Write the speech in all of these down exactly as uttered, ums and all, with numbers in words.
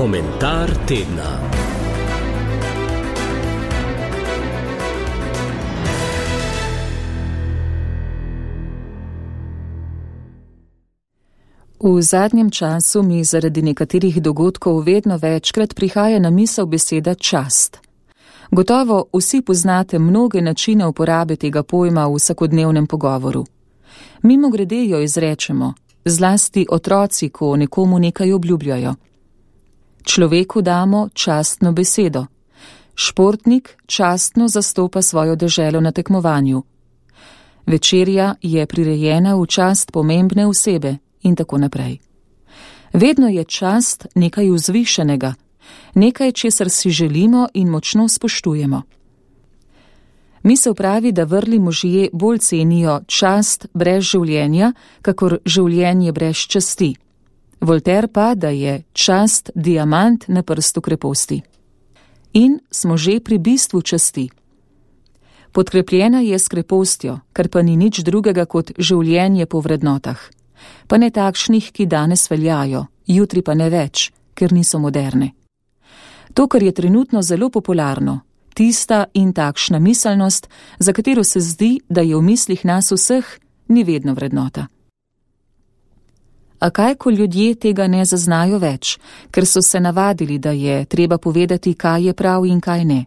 Komentar tedna. V zadnjem času mi zaradi nekaterih dogodkov vedno večkrat prihaja na misel beseda čast. Gotovo vsi poznate mnoge načine uporabe tega pojma v vsakodnevnem pogovoru. Mimogrede jo izrečemo, zlasti otroci, ko nekomu nekaj obljubljajo. Človeku damo častno besedo. Športnik častno zastopa svojo deželo na tekmovanju. Večerja je prirejena v čast pomembne osebe in tako naprej. Vedno je čast nekaj vzvišenega, nekaj, česar si želimo in močno spoštujemo. Misel pravi, da vrli možje bolj cenijo čast brez življenja, kakor življenje brez časti. Voltaire pa, da je čast diamant na prstu kreposti. In smo že pri bistvu časti. Podkrepljena je s krepostjo, kar pa ni nič drugega kot življenje po vrednotah. Pa ne takšnih, ki danes veljajo, jutri pa ne več, ker niso moderne. To, kar je trenutno zelo popularno, tista in takšna miselnost, za katero se zdi, da je v mislih nas vseh, ni vedno vrednota. A kaj, ko ljudje tega ne zaznajo več, ker so se navadili, da je treba povedati, kaj je prav in kaj ne.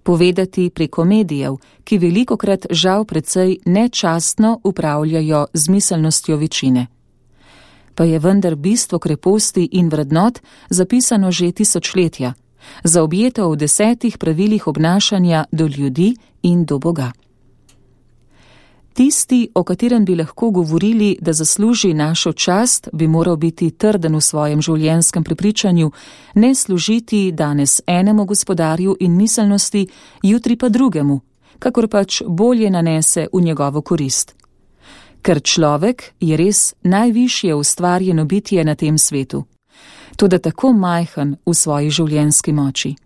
Povedati preko medijev, ki velikokrat žal precej nečastno upravljajo z miselnostjo večine. Pa je vendar bistvo kreposti in vrednot zapisano že tisočletja, zaobjeto v desetih pravilih obnašanja do ljudi in do Boga. Tisti, o katerem bi lahko govorili, da zasluži našo čast, bi moral biti trden v svojem življenjskem prepričanju, ne služiti danes enemu gospodarju in miselnosti, jutri pa drugemu, kakor pač bolje nanese v njegovo korist. Ker človek je res najvišje ustvarjeno bitje na tem svetu, toda tako majhen v svoji življenjski moči.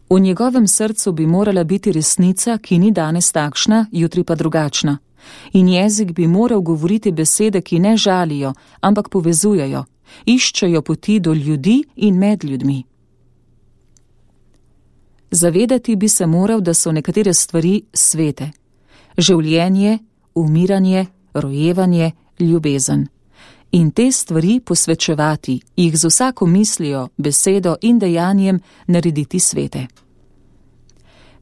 V njegovem srcu bi morala biti resnica, ki ni danes takšna, jutri pa drugačna. In jezik bi moral govoriti besede, ki ne žalijo, ampak povezujejo, iščejo poti do ljudi in med ljudmi. Zavedati bi se moral, da so nekatere stvari svete. Življenje, umiranje, rojevanje, ljubezen. In te stvari posvečevati, jih z vsako mislijo, besedo in dejanjem narediti svete.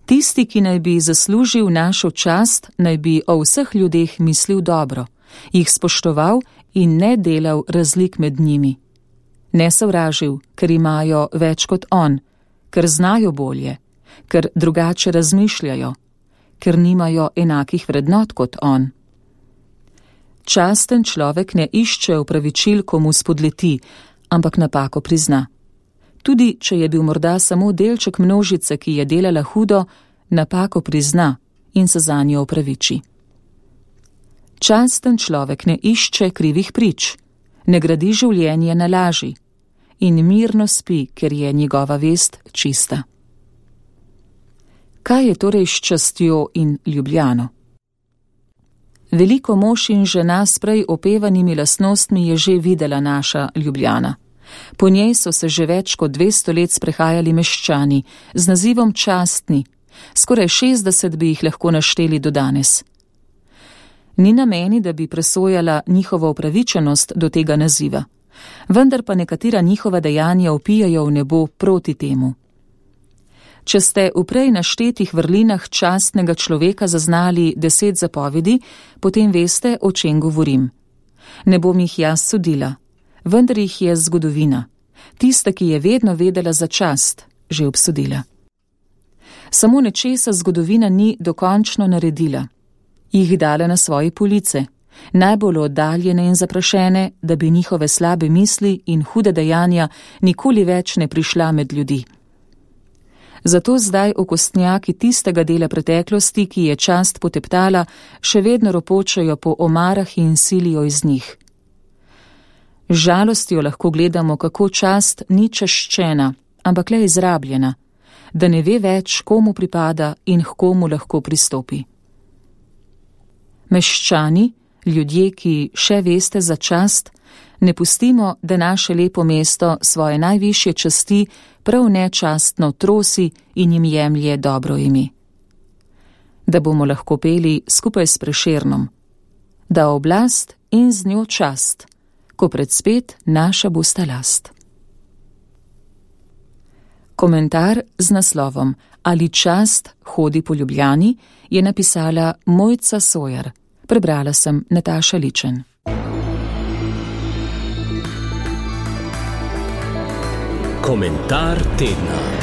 Tisti, ki naj bi zaslužil našo čast, naj bi o vseh ljudeh mislil dobro, jih spoštoval in ne delal razlik med njimi. Ne sovražil, ker imajo več kot on, ker znajo bolje, ker drugače razmišljajo, ker nimajo enakih vrednot kot on. Časten človek ne išče opravičil, ko mu spodleti, ampak napako prizna. Tudi, če je bil morda samo delček množice, ki je delala hudo, napako prizna in se zanjo opraviči. Časten človek ne išče krivih prič, ne gradi življenje na laži in mirno spi, ker je njegova vest čista. Kaj je torej s častjo in ljubljano? Veliko mož in žena s prej opevanimi lastnostmi je že videla naša Ljubljana. Po njej so se že več kot dvesto let sprehajali meščani z nazivom častni, skoraj šestdeset bi jih lahko našteli do danes. Ni na meni, da bi presojala njihovo upravičenost do tega naziva, vendar pa nekatera njihova dejanja vpijajo v nebo proti temu. Če ste v prej naštetih vrlinah častnega človeka zaznali deset zapovedi, potem veste, o čem govorim. Ne bom jih jaz sodila, vendar jih je zgodovina, tista, ki je vedno vedela za čast, že obsodila. Samo nečesa zgodovina ni dokončno naredila. Jih dala na svoje police, najbolj oddaljene in zaprašene, da bi njihove slabe misli in hude dejanja nikoli več ne prišla med ljudi. Zato zdaj okostnjaki tistega dela preteklosti, ki je čast poteptala, še vedno ropočajo po omarah in silijo iz njih. Z žalostjo lahko gledamo, kako čast ni čaščena, ampak le izrabljena, da ne ve več, komu pripada in h komu lahko pristopi. Meščani, ljudje, ki še veste za čast, Ne pustimo, da naše lepo mesto svoje najvišje časti prav nečastno trosi in jim jemlje dobro ime. Da bomo lahko peli skupaj s Prešernom, da oblast in z njo čast, ko predspet naša bosta last. Komentar z naslovom Ali čast hodi po Ljubljani je napisala Mojca Sojer. Prebrala sem Nataša Ličen. Komentar tedna.